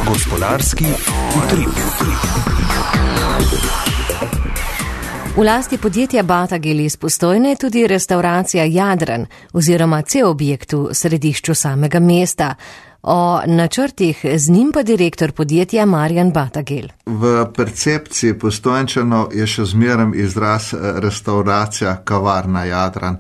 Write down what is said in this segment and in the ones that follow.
Gospodarski utrip. V lasti podjetja Batagel iz Postojne je tudi restauracija Jadran oziroma cel objekt v središču samega mesta. O načrtih z njim pa direktor podjetja Marjan Batagel. V percepciji Postojnčanov je še zmeraj izraz restauracija kavarna Jadran.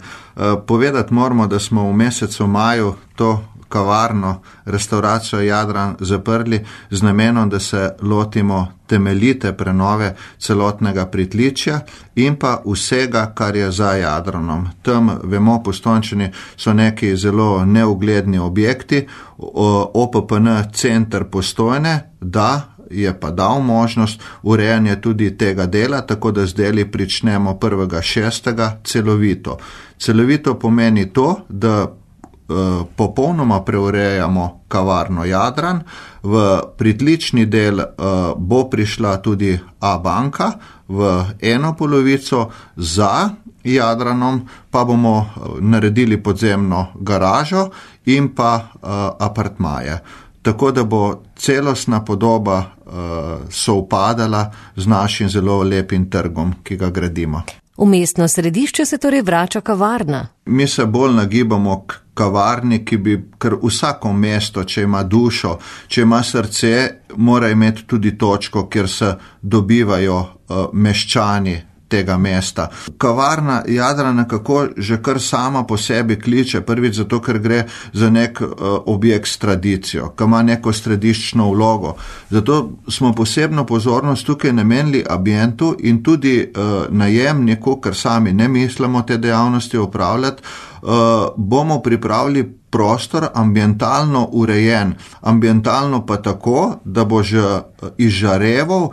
Povedati moramo, da smo v mesecu maju to kavarno, restauracijo Jadran zaprli z namenom, da se lotimo temeljite prenove celotnega pritličja in pa vsega, kar je za Jadranom. Tam, vemo, Postojnčani so neki zelo neugledni objekti, OPPN center Postojne, da je pa dal možnost urejanja tudi tega dela, tako da zdaj pričnemo 1.6. celovito. Celovito pomeni to, da popolnoma preurejamo kavarno Jadran, v pritlični del bo prišla tudi A-banka, v eno polovico za Jadranom pa bomo naredili podzemno garažo in pa apartmaje. Tako da bo celostna podoba sovpadala z našim zelo lepim trgom, ki ga gradimo. V mestno središče se torej vrača kavarna. Mi se bolj nagibamo k kavarni, ki bi, ker vsako mesto, če ima dušo, če ima srce, mora imeti tudi točko, kjer se dobivajo meščani tega mesta. Kavarna Jadran nekako že kar sama po sebi kliče, prvič zato, ker gre za nek objekt s tradicijo, ki ima neko središčno vlogo. Zato smo posebno pozornost tukaj namenili ambientu in tudi najemniku, ker sami ne mislimo te dejavnosti upravljati, bomo pripravili prostor ambientalno urejen, ambientalno pa tako, da bo že izžareval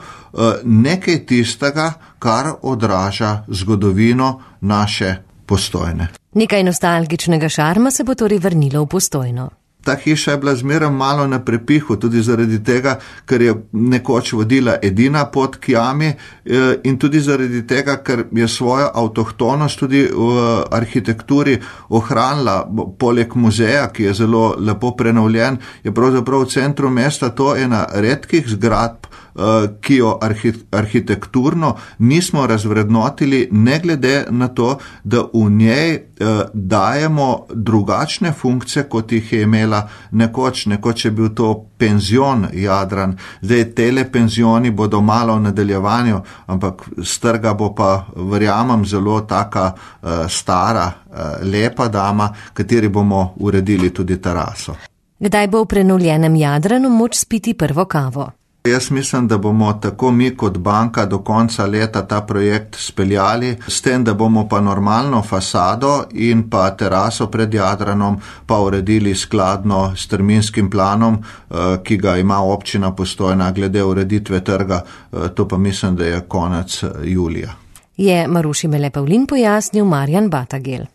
nekaj tistega, kar odraža zgodovino naše Postojne. Nekaj nostalgičnega šarma se bo torej vrnilo v Postojno. Ta hiša je bila zmeraj malo na prepihu, tudi zaradi tega, ker je nekoč vodila edina pot k jami in tudi zaradi tega, ker je svojo avtohtonost tudi v arhitekturi ohranila. Poleg muzeja, ki je zelo lepo prenovljen, je pravzaprav v centru mesta to ena redkih zgradb, ki jo arhitekturno nismo razvrednotili, ne glede na to, da v njej dajemo drugačne funkcije, kot jih je imela nekoč. Nekoč je bil to penzion Jadran, zdaj tele penzioni bodo malo v nadaljevanju, ampak s trga bo pa, verjamem, zelo taka stara, lepa dama, kateri bomo uredili tudi teraso. Kdaj bo v prenovljenem Jadranu moč spiti prvo kavo? Jaz mislim, da bomo tako mi kot banka do konca leta ta projekt speljali, s tem, da bomo pa normalno fasado in pa teraso pred Jadranom pa uredili skladno s terminskim planom, ki ga ima občina Postojna glede ureditve trga, to pa mislim, da je konec julija. Je Maruši Mele Pavlin pojasnil Marjan Batagel.